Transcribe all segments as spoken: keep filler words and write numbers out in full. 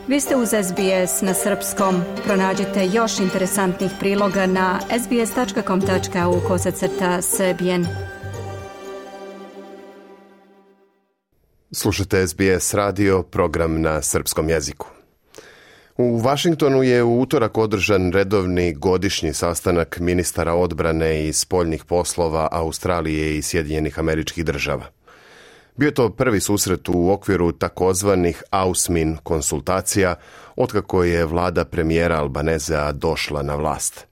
Vi ste uz S B S na srpskom. Pronađite još interesantnih priloga na sbs.com.au kosacrta srbijen. Slušate S B S radio, program na srpskom jeziku. U Vašingtonu je u utorak održan redovni godišnji sastanak ministara odbrane i spoljnih poslova Australije i Sjedinjenih Američkih Država. Bio je to prvi susret u okviru takozvanih AUSMIN konsultacija otkako je vlada premijera Albanezea došla na vlast.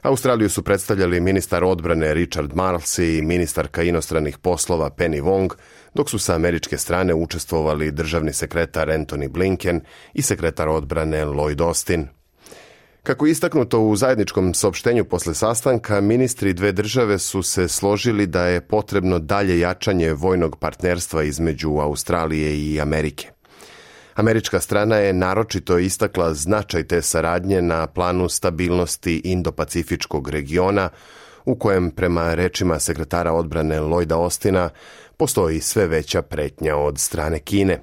Australiju su predstavljali ministar odbrane Richard Marles i ministarka inostranih poslova Penny Wong, dok su sa američke strane učestvovali državni sekretar Antony Blinken i sekretar odbrane Lloyd Austin. Kako je istaknuto u zajedničkom saopštenju posle sastanka, ministri dve države su se složili da je potrebno dalje jačanje vojnog partnerstva između Australije i Amerike. Američka strana je naročito istakla značaj te saradnje na planu stabilnosti Indo-Pacifičkog regiona, u kojem, prema rečima sekretara odbrane Lloyda Austina, postoji sve veća pretnja od strane Kine.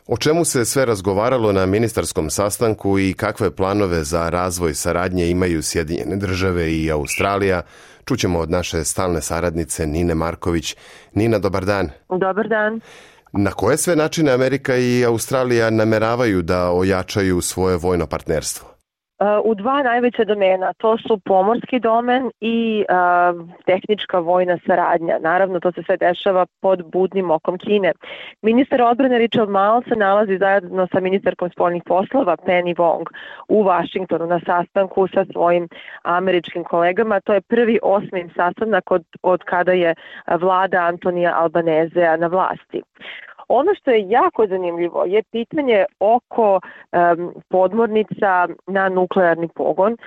O čemu se sve razgovaralo na ministarskom sastanku i kakve planove za razvoj saradnje imaju Sjedinjene države i Australija, čućemo od naše stalne saradnice Nine Marković. Nina, dobar dan. Dobar dan. Na koje sve načine Amerika i Australija nameravaju da ojačaju svoje vojno partnerstvo? U dva najveća domena, to su pomorski domen i uh, tehnička vojna saradnja. Naravno, to se sve dešava pod budnim okom Kine. Ministar odbrane Richard Marles se nalazi zajedno sa ministarkom spoljnih poslova Penny Wong u Vašingtonu na sastanku sa svojim američkim kolegama. To je prvi osmi sastanak od, od kada je vlada Antonija Albanezea na vlasti. Ono što je jako zanimljivo je pitanje oko um, podmornica na nuklearni pogon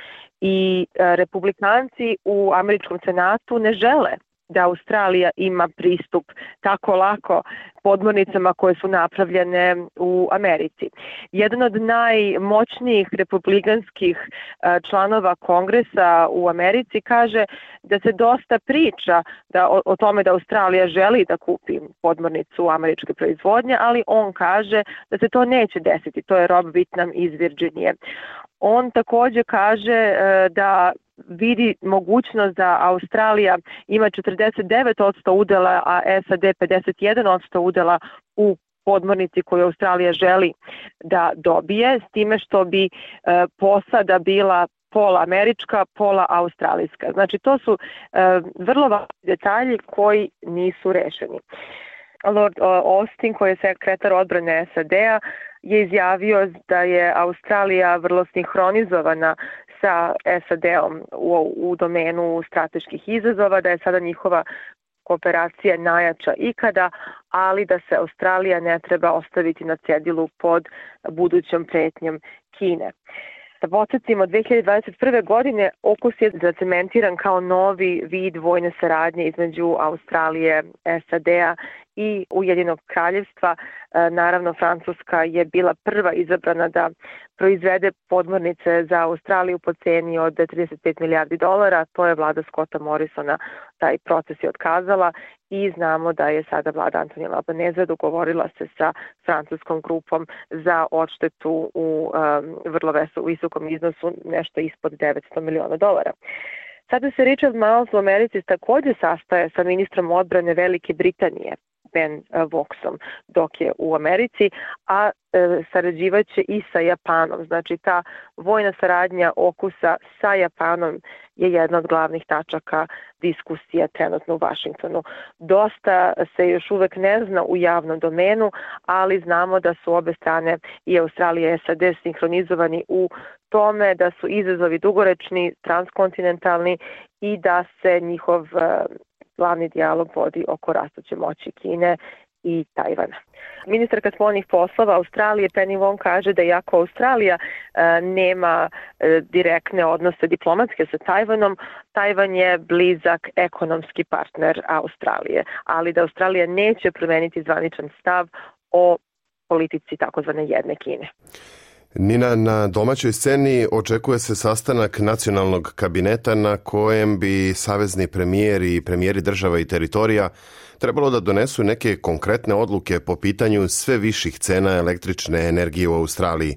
i uh, republikanci u američkom senatu ne žele da Australija ima pristup tako lako podmornicama koje su napravljene u Americi. Jedan od najmoćnijih republikanskih članova Kongresa u Americi kaže da se dosta priča da, o, o tome da Australija želi da kupi podmornicu američke proizvodnje, ali on kaže da se to neće desiti. To je Rob Whitnam iz Virginije. On također kaže da vidi mogućnost da Australija ima četrdeset devet posto udela, a S A D pedeset jedan posto udela u podmornici koju Australija želi da dobije, s time što bi e, posada bila pola američka, pola australijska. Znači, to su e, vrlo važni detalji koji nisu rešeni. Lord Austin, koji je sekretar odbrane S A D-a, je izjavio da je Australija vrlo sinhronizovana sa S A D-om u, u domenu strateških izazova, da je sada njihova kooperacija najjača ikada, ali da se Australija ne treba ostaviti na cedilu pod budućom pretnjom Kine. Da podsjetimo, dve hiljade dvadeset prve. godine Okus je zacementiran kao novi vid vojne saradnje između Australije, S A D-a i Ujedinjenog kraljevstva. Naravno, Francuska je bila prva izabrana da proizvede podmornice za Australiju po ceni od trideset pet milijardi dolara. To je vlada Scotta Morrisona, taj proces je otkazala i znamo da je sada vlada Antonija Albanezea dogovorila se sa francuskom grupom za odštetu u um, vrlo visokom iznosu, nešto ispod devetsto miliona dolara. Sada se Richard Marles u Americi također sastaje sa ministrom odbrane Velike Britanije, Ben Voxom, dok je u Americi, a e, sarađivaće i sa Japanom. Znači, ta vojna saradnja Okusa sa Japanom je jedna od glavnih tačaka diskusija trenutno u Vašingtonu. Dosta se još uvek ne zna u javnom domenu, ali znamo da su obe strane, i Australija i S A D, sinhronizovani u tome da su izazovi dugoročni, transkontinentalni i da se njihov glavni dijalog vodi oko rastuće moći Kine i Tajvana. Ministarka spoljnih poslova Australije Penny Wong kaže da iako Australija e, nema e, direktne odnose diplomatske sa Tajvanom, Tajvan je blizak ekonomski partner Australije, ali da Australija neće promeniti zvaničan stav o politici takozvane jedne Kine. Nina, na domaćoj sceni očekuje se sastanak nacionalnog kabineta na kojem bi savezni premijeri i premijeri država i teritorija trebalo da donesu neke konkretne odluke po pitanju sve viših cena električne energije u Australiji.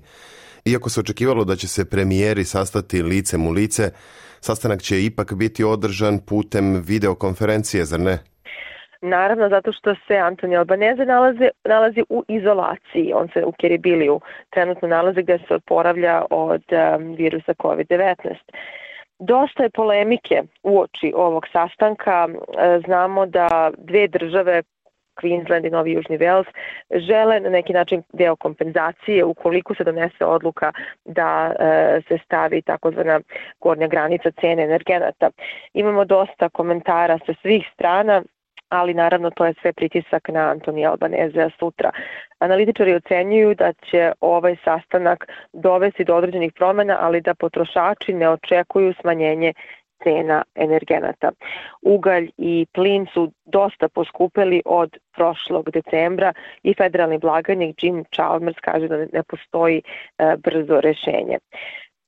Iako se očekivalo da će se premijeri sastati licem u lice, sastanak će ipak biti održan putem videokonferencije, zar ne? Naravno, zato što se Antoni Albanese nalazi, nalazi u izolaciji. On se u Kiribiliju trenutno nalazi gde se oporavlja od um, virusa kovid devetnaest. Dosta je polemike uoči ovog sastanka. Znamo da dve države, Queensland i Novi Južni Vels, žele na neki način deo kompenzacije ukoliko se donese odluka da e, se stavi takozvana gornja granica cene energenata. Imamo dosta komentara sa svih strana, ali naravno to je sve pritisak na Antonija Albanesea sutra. Analitičari ocenjuju da će ovaj sastanak dovesti do određenih promjena, ali da potrošači ne očekuju smanjenje cena energenata. Ugalj i plin su dosta poskupeli od prošlog decembra i federalni blagajnik Jim Chalmers kaže da ne postoji e, brzo rešenje.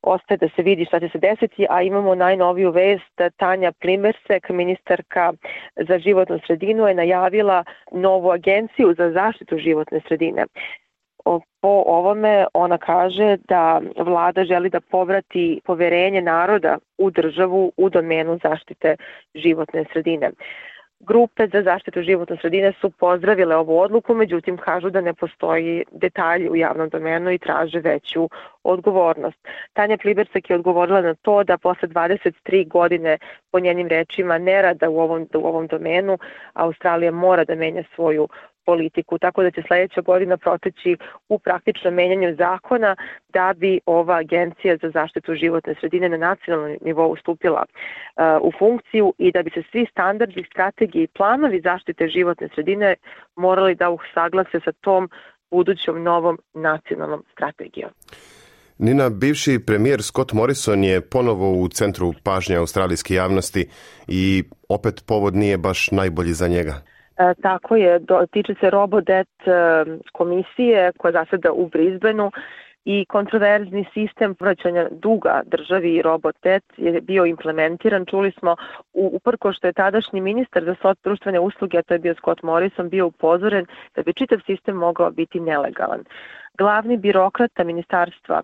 Ostaje da se vidi šta će se desiti, a imamo najnoviju vest. Tanja Plimersek, ministarka za životnu sredinu, je najavila novu agenciju za zaštitu životne sredine. Po ovome ona kaže da vlada želi da povrati poverenje naroda u državu u domenu zaštite životne sredine. Grupe za zaštitu životne sredine su pozdravile ovu odluku, međutim kažu da ne postoji detalji u javnom domenu i traže veću odgovornost. Tanja Plibersek je odgovorila na to da posle dvadeset tri godine, po njenim rečima, nerada u ovom, u ovom domenu, Australija mora da menja svoju politiku, tako da će sljedeća godina proteći u praktičnom menjanju zakona da bi ova agencija za zaštitu životne sredine na nacionalnom nivou stupila uh, u funkciju i da bi se svi standardi, strategije i planovi zaštite životne sredine morali da usaglase sa tom budućom novom nacionalnom strategijom. Nina, bivši premijer Scott Morrison je ponovo u centru pažnje australijske javnosti i opet povod nije baš najbolji za njega. E, tako je, do, tiče se Robodebt e, komisije koja zaseda u Brisbaneu i kontroverzni sistem vraćanja duga državi i Robodebt je bio implementiran. Čuli smo, u, uprko što je tadašnji ministar za društvene usluge, a to je bio Scott Morrison, bio upozoren da bi čitav sistem mogao biti nelegalan. Glavni birokrata ministarstva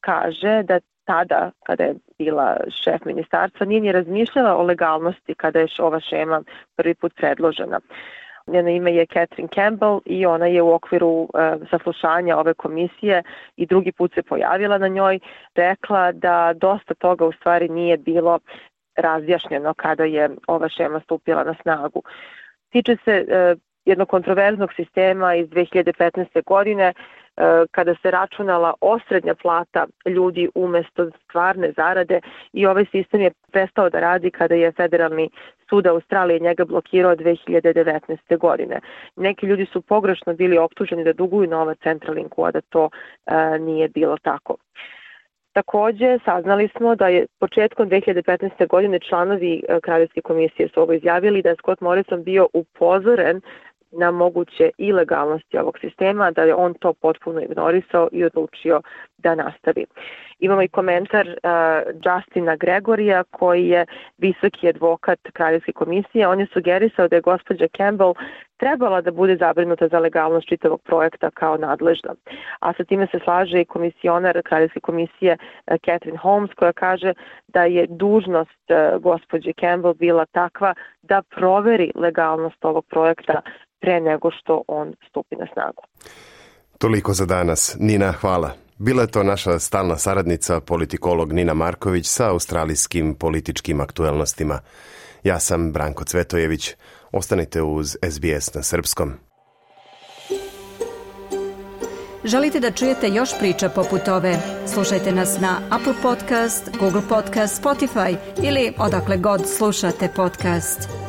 kaže da tada, kada je bila šef ministarstva, nije ni razmišljala o legalnosti kada je ova šema prvi put predložena. Njeno ime je Catherine Campbell i ona je u okviru e, saslušanja ove komisije i drugi put se pojavila na njoj, rekla da dosta toga u stvari nije bilo razjašnjeno kada je ova šema stupila na snagu. Tiče se e, jednog kontroverznog sistema iz dve hiljade petnaeste. godine, kada se računala osrednja plata ljudi umesto stvarne zarade i ovaj sistem je prestao da radi kada je Federalni sud Australije njega blokirao dve hiljade devetnaeste. godine. Neki ljudi su pogrešno bili optuženi da duguju novac Centralinku, a da to e, nije bilo tako. Takođe, saznali smo da je početkom dve hiljade petnaeste. godine članovi Kraljevske komisije su ovo izjavili da je Scott Morrison bio upozoren na moguće ilegalnosti ovog sistema, da je on to potpuno ignorisao i odlučio da nastavi. Imamo i komentar uh, Justina Gregorija, koji je visoki advokat Kraljevske komisije. On je sugerisao da je gospođa Campbell trebala da bude zabrinuta za legalnost čitavog projekta kao nadležna. A sa time se slaže i komisionar Kraljevske komisije uh, Catherine Holmes, koja kaže da je dužnost uh, gospođe Campbell bila takva da proveri legalnost ovog projekta pre nego što on stupi na snagu. Toliko za danas. Nina, hvala. Bila je to naša stalna saradnica, politikolog Nina Marković sa australijskim političkim aktuelnostima. Ja sam Branko Cvetojević. Ostanite uz S B S na srpskom. Želite da čujete još priča poput ove? Slušajte nas na Apple Podcast, Google Podcast, Spotify ili odakle god slušate podcast.